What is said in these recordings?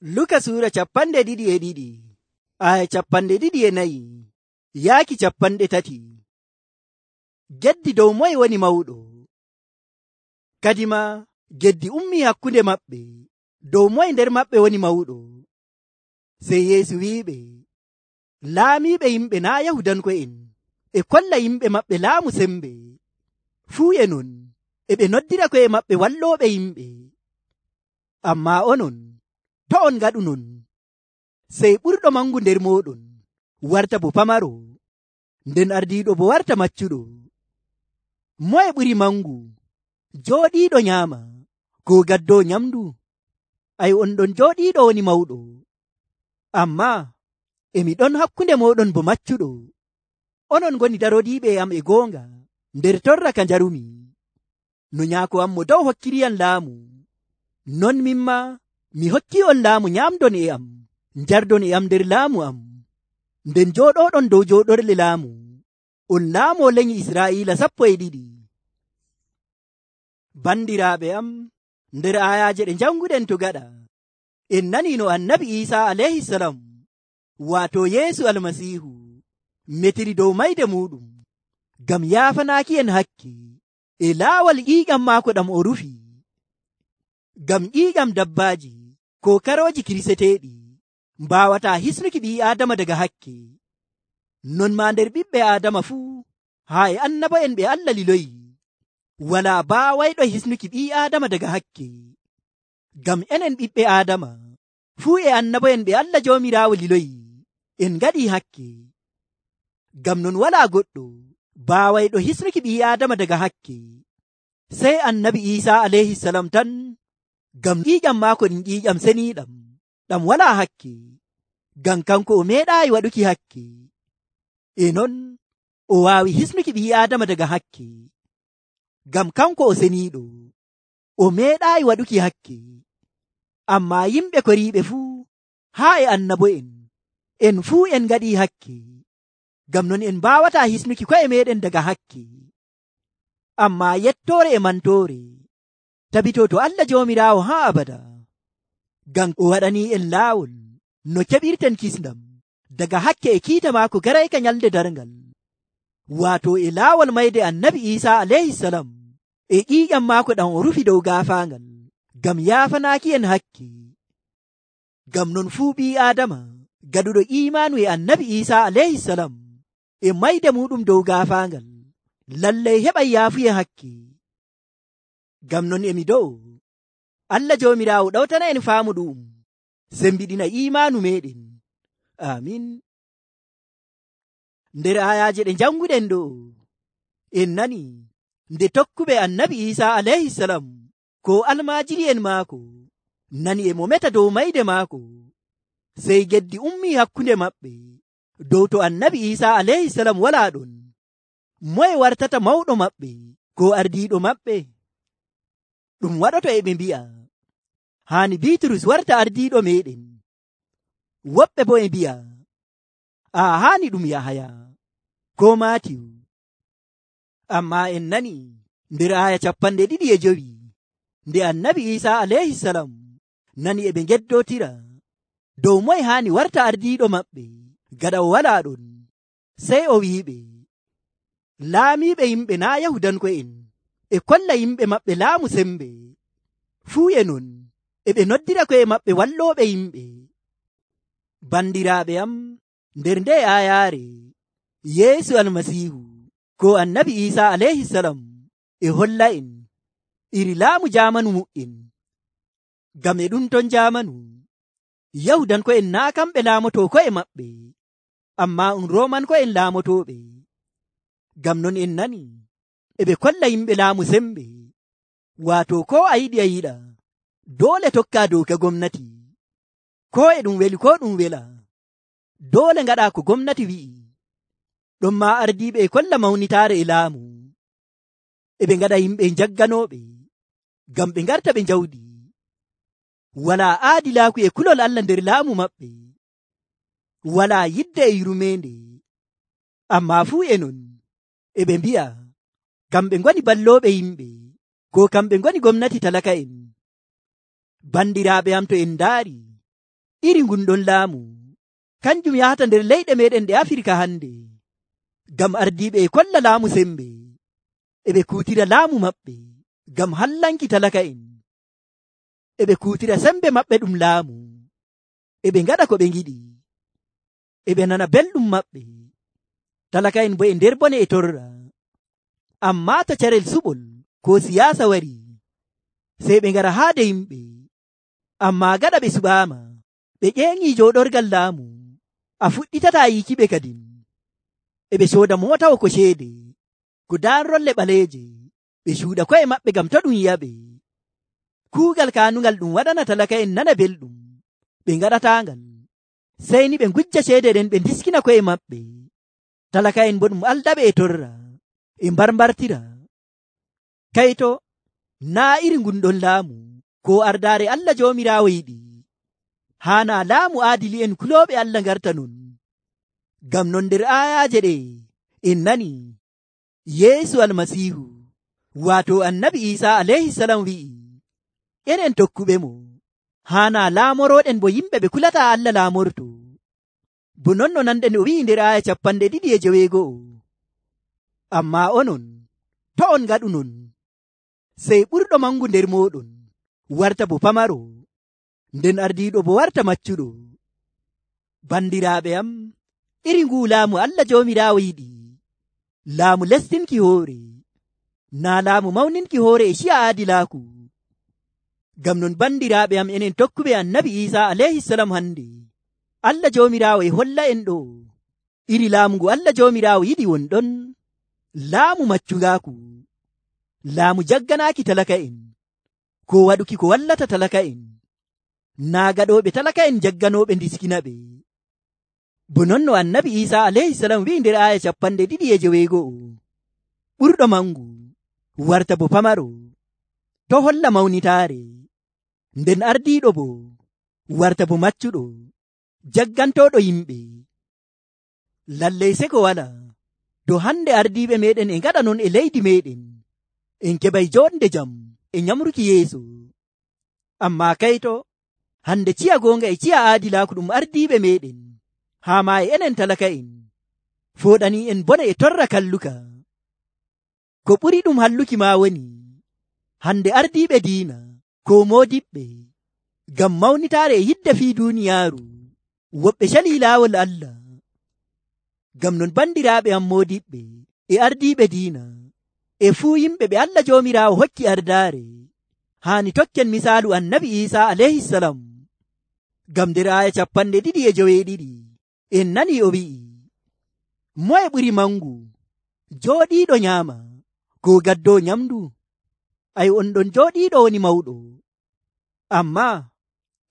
Luka sura 22 aya 24 yaaki 30. Geddi dow moye woni mawɗo. Kadima geddi ummi hakkunde maɓɓe dow moye nder maɓɓe woni mawɗo. Sey Yeesu wi'iɓe, laamiiɓe yimɓe naa Yahudanko'en e kolla yimɓe maɓɓe laamu sembe. Fuu e non e ɓe noddira ko'e maɓɓe wallooɓe yimɓe. Ammaa onon to' on ngaɗu non. Sey ɓurɗo mangu nder mooɗon warta bo pamaro, nden ardiiɗo bo warta maccuɗo. Moye ɓuri mangu, jooɗiiɗo nyaama koo gaddoo nyamdu? On ɗon jooɗiiɗo woni mawɗo. Ammaa emi ɗon hakkunde mooɗon bo maccuɗo. Onon ngoni darodiiɓe am e goonga nder torra ka njarumi. No nyaako am mo dow hokkiriyam laamu, non mimma mi hokki on laamu nyamdon e am, njardon e am nder laamu am. Nden jooɗoɗon dow jooɗorle laamu, on laamoo lenyi Israa'iila 12. Bandiraaɓe am, nder ayaaje ɗe janguɗen to gaɗa, en nanii no annabi Iisaa alayhisalam, waato Yeesu Almasiihu, metiri dow mayde muɗum ngam yaafanaaki en hakke e laawol ƴiiƴam maako ɗam o rufi. Ngam ƴiiƴam dabbaaji ko karooji kiriseteeɗi mbaawataa hisnuki ɓii Aadama daga hakke. Non maa nder ɓiɓɓe Aadama fuu, haa e annabo'en ɓe Allah liloyi, walaa baawayɗo hisnuki ɓii Aadama daga hakke. Ngam enen ɓiɓɓe Aadama fuu e annabo'en ɓe Allah Joomiraawo liloyi, en ngaɗii hakke. Ngam non walaa goɗɗo baawayɗo hisnuki ɓii Aadama daga hakke, sey annabi Iisaa alayhisalam tan, ngam ƴiiƴam maako ɗum ƴiiƴam seniiɗam ɗam walaa hakke, ngam kanko o meeɗaayi waɗuki hakke. E non o waawi hisnuki ɓii Aadama daga hakke, ngam kanko o seniiɗo, o meeɗaayi waɗuki hakke. Ammaa yimɓe koriiɓe fuu, haa e annabo'en, en fuu en ngaɗii hakke, ngam non en mbaawataa hisnuki ko'e meeɗen daga hakke. Ammaa yettoore e mantoore tabitoo to Allah Joomiraawo haa abada, ngam o waɗanii en laawol no keɓirten kisndam daga hakke e kiita maako garayka nyalde darngal, waato e laawol mayde annabi Iisaa alayhisalam e ƴiiƴam maako ɗam o rufi dow gaafaangal ngam yaafanaaki en hakke. Ngam non fuu ɓii Aadama gaɗuɗo iimaanu e annabi Iisaa alayhisalam e mayde muɗum dow gaafaangal lallay heɓay yaafuye hakke. Ngam non emi dow Allah Joomiraawo ɗawtana en faamu ɗum, sembiɗina iimaanu meɗen. Amin. Nder ayaaje ɗe janguɗen ɗo, en nani nde tokkuɓe annabi Iisaa alayhisalam ko almaajiri'en maako nani e mo meta dow mayde maako, sey geddi ummi hakkunde maɓɓe dow to annabi Iisaa alayhisalam walaa ɗon, moye wartata mawɗo maɓɓe ko ardiiɗo maɓɓe? Ɗum waɗoto e ɓe mbi'a, haani Biiturus warta ardiiɗo meɗen. Woɓɓe bo e mbi'a, haani ɗum Yahaya ko Maatiyu. Ammaa en nani nder aya 25 nde annabi Iisaa alayhisalam nani e ɓe ngeddotira dow moye haani warta ardiiɗo maɓɓe gaɗa o walaa ɗon, sey o wi'iɓe, laamiiɓe yimɓe naa Yahudanko'en e kolla yimɓe maɓɓe laamu sembe. Fuu e non e ɓe noddira ko'e maɓɓe wallooɓe yimɓe. Bandiraaɓe am, nder nde ayaare Yeesu Almasiihu ko annabi Iisaa alayhisalam e holla en iri laamu jaamanu mu'en. Ngam e ɗum ton jaamanu Yahudanko'en naa kamɓe laamotoo ko'e maɓɓe, ammaa Roomanko'en laamotooɓe. Ngam non en nani e ɓe kolla yimɓe laamu sembe, waato ko a yiɗi a yiɗa doole tokka doka gomnati, ko e ɗum weli ko ɗum wela, doole ngaɗa ko gomnati wi'i. Ɗon ma ardiiɓe e kolla mawnitaare e laamu, e ɓe ngaɗa yimɓe jagganooɓe ngam ɓe ngarta ɓe njawdi. Walaa aadilaaku e kulol Allah nder laamu maɓɓe, walaa yidde e yurmeende. Ammaa fuu e non e ɓe mbi'a kamɓe ngoni ballooɓe yimɓe, ko kamɓe ngoni gomnati talaka'en. Bandiraaɓe am, to en ndaari iri gunɗon laamu kanjum yahata nder leyɗe meɗen ɗe Afirka hande, ngam ardiɓe e kolla laamu sembe, eɓe kutira laamu maɓɓe ngam hallanki talaka'en, eɓe kutira sembe maɓɓe ɗum laamu, eɓe ngaɗa ko ɓe ngiɗi, eɓe nana belɗum maɓɓe. Talaka'en bo e nder bone e torra. Amma to carel suɓol ko siyasa wari, sey ɓe ngara haade yimɓe, amma gaɗa ɓe suɓaama, ɓe ƴeeŋi jooɗorgal laamu, a fuɗɗitata yiikiɓe kadin. Eɓe cooda mootawo ko ceede, ko daarrolle ɓaleeje, ɓe cuuɗa ko'e maɓɓe ngam to ɗum yi'aɓe. Kuugal kaanungal ɗum waɗana talaka'en nana belɗum, ɓe ngaɗataangal, sey ni ɓe ngujja ceede ɗen ɓe ndiskina ko'e maɓɓe. Talaka'en bo ɗum aldaɓe e torra, e mbarmbartira. Kayto naa iri ngunɗon laamu ko ardaare Allah Joomiraawo yiɗi. Haana laamu aadili'en kulooɓe Allah ngarta non. Ngam non nder aayaaje ɗe en nani Yeesu Almasiihu, waato Annabi Iisaa alayhisalam wi'i, enen tokkuɓe mo, haana laamoroɗen bo yimɓe ɓe kulata Allah laamorto. Bo non no nanɗen o wi'i nder aaya 2:9, amma onon to on ngaɗu non, sey ɓurɗo mangu nder moɗon warta bo pamaro, nden ardiiɗo bo warta maccuɗo. Bandiraaɓe am, iri ngu laamu Allah Joomiraawo yiɗi, laamu lestinki hoore, naa laamu mawninki hoore e ciya aadilaaku. Ngam non bandiraaɓe am, enen tokkuɓe Annabi Iisaa alayhisalam hande, Allah Joomiraawo e holla en ɗo iri laamu ngu Allah Joomiraawo yiɗi wonɗon, laamu maccungaaku, laamu jagganaaki talaka'en, ko waɗuki ko wallata talaka'en, naa gaɗooɓe talaka'en jagganooɓe ndiskinaɓe. Bo non no Annabi Iisaa alayhisalam wi'i nder aaya 2:9, ɓurɗo mangu warta bo pamaro, to holla mawnitaare, nden ardiiɗo bo warta bo maccuɗo, jaggantooɗo yimɓe. Lallay seko wala, to hande ardiiɓe meɗen e ngaɗa non e leydi meɗen, en keɓay jonde jam e nyamruki yeeso. Amma kayto hande ciya goonga e ciya aadilaaku ɗum ardiiɓe meɗen, haa ma e enen talaka'en, fooɗani en bone e torra kalluka. Ko ɓuri ɗum halluki ma woni hande ardiiɓe diina ko moodiɓɓe, ngam mawnitaare e yidde fii duuniyaaru, woɓɓe cali laawol Allah. Ngam non bandiraaɓe am moodiɓɓe e ardiiɓe diina e fuu yimɓe ɓe Allah Joomiraawo hokki ardaare, haani tokken misaalu Annabi Iisaa alayhisalam. Ngam nder aaya 2:9 en nani o wi'i, moye ɓuri mangu jooɗiiɗo nyaama ko gaddo nyamdu? Ay, on ɗon jooɗiiɗo woni mawɗo, amma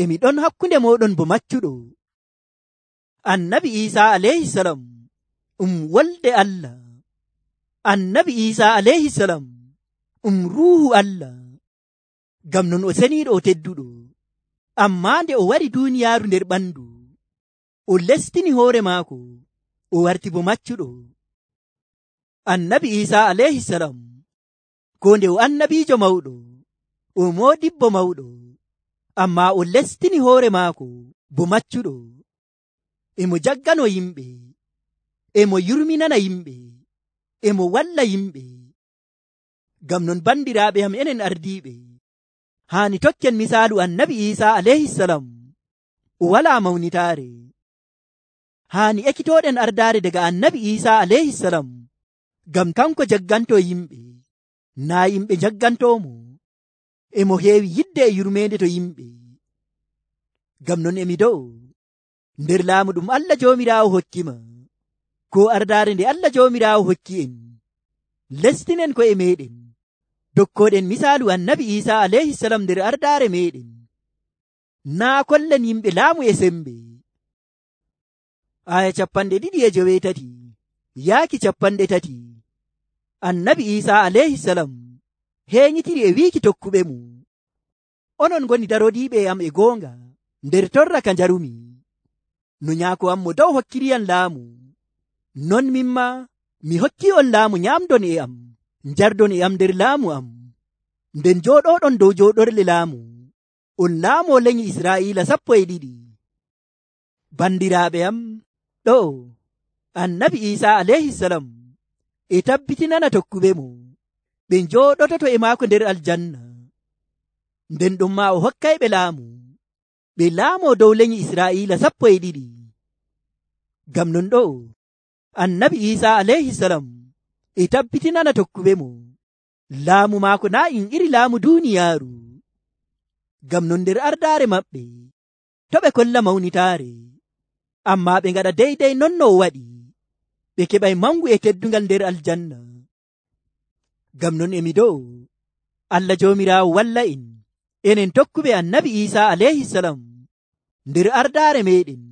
emi ɗon hakkunde moɗon bo maccuɗo. Annabi Iisaa alayhisalam wolde Allah. Annabi Iisaa alayhisalam ruuhu Allah. Ngam non o seniiɗo o tedduɗo, amma nde o wari duuniyaaru nder ɓandu, o lestini hoore maako, o warti bo maccuɗo. Annabi Iisaa alayhisalam ko nde o annabiijo mawɗo, o moodibbo mawɗo, amma o lestini hoore maako bo maccuɗo. Emo jaggano yimɓe, emo yurminana yimɓe, emo walla yimɓe. Ngam non bandiraaɓe am, enen ardiiɓe haani tokken misaalu Annabi Iisaa alayhisalam, o walaa mawnitaare. Haani ekkitooɗen ardaare daga Annabi Iisaa alayhisalam, ngam kanko jagganto yimɓe, naa yimɓe jaggantoomo. Emo heewi yidde e yurmeende to yimɓe. Ngam non emi do'o nder laamu ɗum Allah Joomiraawo hokkima, ko ardaare nde Allah Joomiraawo hokki en, lestinen ko'e meɗen, dokkoɗen misaalu Annabi Iisaa alayhisalam nder ardaare meɗen, naa kollen yimɓe laamu e sembe. Aya 2:9 yaaki 30, Annabi Iisaa alayhisalam heeñitiri e wiiki tokkuɓe mu, onon ngoni darodiiɓe am e goonga nder torra ka njarumi, no nyaako am mo dow hokkiriyam laamu, non mimma mi hokki on laamu, nyamdon e am, njardon e am nder laamu am, nden jooɗoɗon dow jooɗorle laamu, on laamoo lenyi Israa'iila 12. Bandiraaɓe am, ɗo annabi Iisaa alayhisalam e tabbitinana tokkuɓe mo ɓe njooɗototo e maako nder aljanna. Nden ɗum maa o hokkayɓe laamu ɓe laamoo dow lenyi Israa'iila 12. Ngam non ɗo annabi Iisaa alayhisalam e tabbitinana tokkuɓe mo laamu maako naa in iri laamu duuniyaaru. Ngam non nder ardaare maɓɓe to ɓe kolla mawnitaare, ammaa ɓe ngaɗa deydey non no o waɗi, ɓe keɓay mangu e teddungal nder aljanna. Ngam non emi dow Allah Joomiraawo walla en enen tokkuɓe annabi Iisaa alayhisalam nder ardaare meɗen,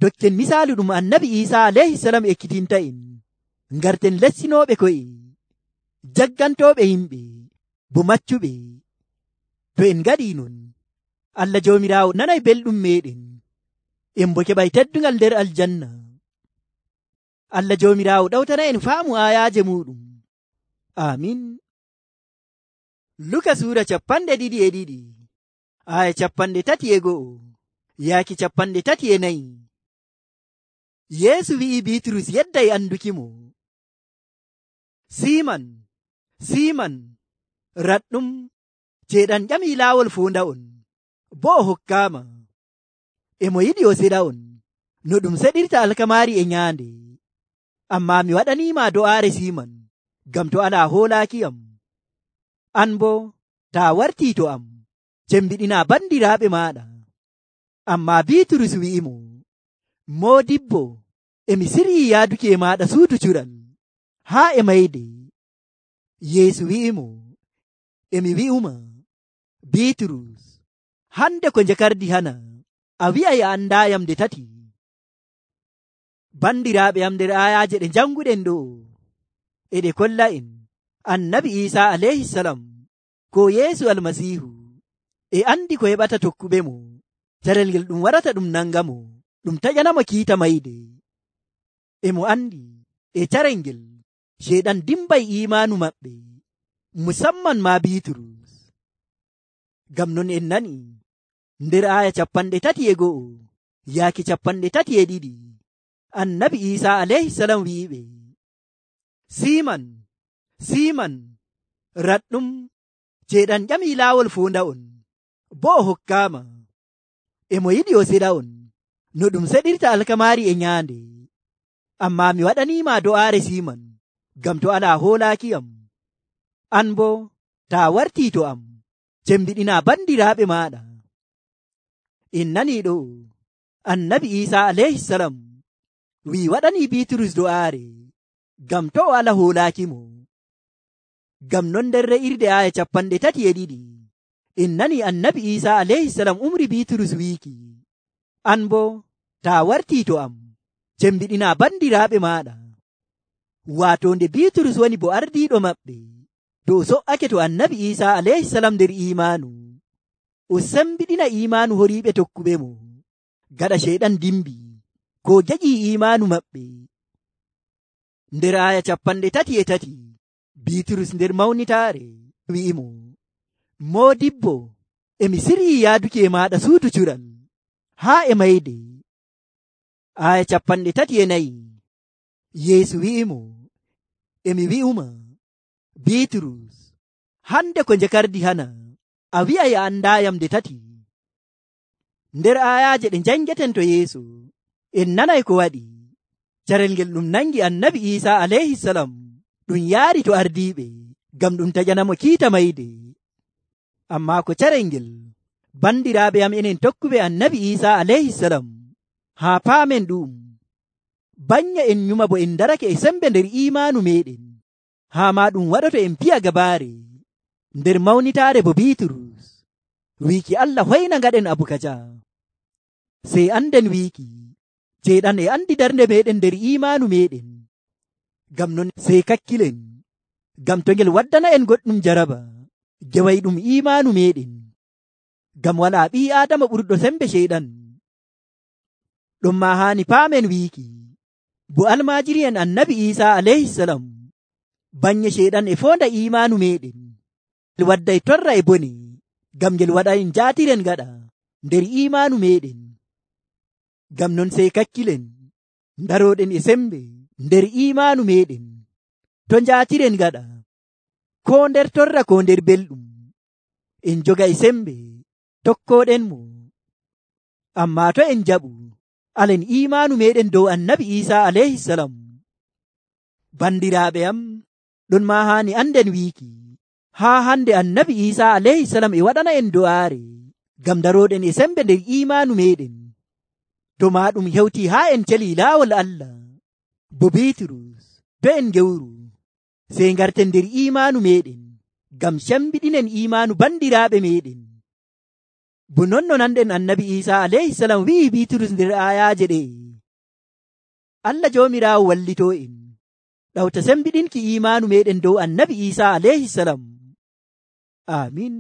dokken misaalu ɗum annabi Iisaa alayhisalam ekkitinta en, ngarten lessinooɓe ko'e, jaggantooɓe yimɓe bo maccuɓe. To en ngaɗii non, Allah Joomiraawo nanay belɗum meɗen, en bo keɓay teddungal nder aljanna. Allah Joomiraawo ɗawtana en faamu aayaaje muɗum. Amin. Luka suura 22 aya 31 yaaki 34. Yeesu wi'i Biiturus yedday andukimo, Siman, Siman, raɗɗum, ceeɗan ƴamii laawol fuunda'on, bo o hokkaama. Emo yiɗi o seɗa on no ɗum seɗirta alkamaari e nyaande. Ammaa mi waɗaniima do'aare Siman, ngam to alaa hoolaakiyam. An bo taa wartii to am, cembiɗinaa bandiraaɓe maaɗa. Ammaa Biiturus wi'imo, Moodibbo, emi siryii yaaduki e maaɗa suudu cuɗal haa e mayde. Yeesu wi'imo, emi wi'uma, Biiturus, hande ko njakardi hana, a wi'ay a andaayam nde tati. Bandiraaɓe am, nder aayaaje ɗe janguɗen ɗo e ɗe kolla en annabi Iisaa alayhisalam ko Yeesu almasiihu e andi ko heɓata tokkuɓe mo, carel ngel ɗum warata ɗum nangamo, ɗum taƴanamo kiita mayde. Emo andi e carel ngel ceeɗan dimbay imaanu maɓɓe, musamman ma Biiturus. Ngam non en nani nder aya 31 yaaki 32 annabi Iisaa alayhisalam wi'iɓe, Siman, Siman, raɗɗum, ceeɗan ƴamii laawol fuunda'on, bo o hokkaama. Emo yiɗi o seɗa on no ɗum seɗirta alkamaari e nyaande. Ammaa mi waɗaniima do'aare Siman, ngam to alaa hoolaakiyam. An bo taa wartii to am, cembiɗinaa bandiraaɓe maaɗa. En nanii ɗo annabi Iisaa alayhisalam wi'i waɗanii Biiturus do'aare ngam to o ala hoolaakimo. Ngam non nder re'irde aya 32 en nani annabi Iisaa alayhisalam umri Biiturus wiiki, an bo taa wartii to am, cembiɗinaa bandiraaɓe maaɗa. Waato nde Biiturus woni bo ardiiɗo maɓɓe dow so''ake to annabi Iisaa alayhisalam nder imaanu, o sembiɗina imaanu horiiɓe tokkuɓe mo, gaɗa ceyɗan dimbi ko jaƴii imaanu maɓɓe. Nder aya 33 Biiturus nder mawnitaare wi'imo, Moodibbo, emi siryii yaaduki e maaɗa suudu cuɗal haa e mayde. Aya 34 Yeesu wi'imo, emi wi'uma, Biiturus, hande ko njakardi hana, a wi'ay a andaayam nde tati. Nder ayaaje ɗe njangeten to Yeesu en nanay ko waɗi, carel ngel ɗum nangi annabi Iisaa alayhisalam ɗum yaari to ardiiɓe ngam ɗum taƴanamo kiita mayde. Ammaa ko carel ngel bandiraaɓe am enen tokkuɓe annabi Iisaa alayhisalam haa paamen ɗum, banya en nyuma bo en darake e sembe nder imaanu meɗen, haa ma ɗum waɗoto en piya gabaare nder mawnitaare bo Biiturus wiiki Allah hoyna ngaɗen abu kaja. Sey anden wiiki ceeɗan e andi darnde meɗen nder imaanu meɗen. Ngam non sey kakkilen, ngam to ngel waddana en goɗɗum jaraba geway ɗum imaanu meɗen, ngam walaa ɓii Aadama ɓurɗo sembe ceeɗan. Ɗum ma haani paamen wiiki bo almaajiri en annabi Iisaa alayhisalam banye ceeɗan e fonda imaanu meɗen, ngel wadday torra e bone, ngam ngel waɗa en jaatiren gaɗa nder imaanu meɗen. Ngam non sey kakkilen daroɗen e sembe nder imaanu meɗen, to njaatiren gaɗa, ko nder torra ko nder belɗum, en joga e sembe tokkoɗen mo. Amma to en jaɓu alen imaanu meɗen dow annabi Isa alayhisalam. Bandiraaɓe am, ɗon ma haani anden wiiki haa hande annabi Isa alayhisalam e waɗana en do'aare ngam daroɗen e sembe nder imaanu meɗen. To ma ɗum hewti haa en celi laawol Allah, bo Bitrus, to en gewru sey garten nder imaanu meɗen ngam cambiɗinen imaanu bandiraaɓe meɗen. Bo non no nanɗen annabi Isa alayhisalam wi'i Bitrus nder ayaaje ɗe, Allah joomiraawo wallito en ɗawta sembiɗinki imaanu meɗen dow annabi Isa alayhisalam. Amin.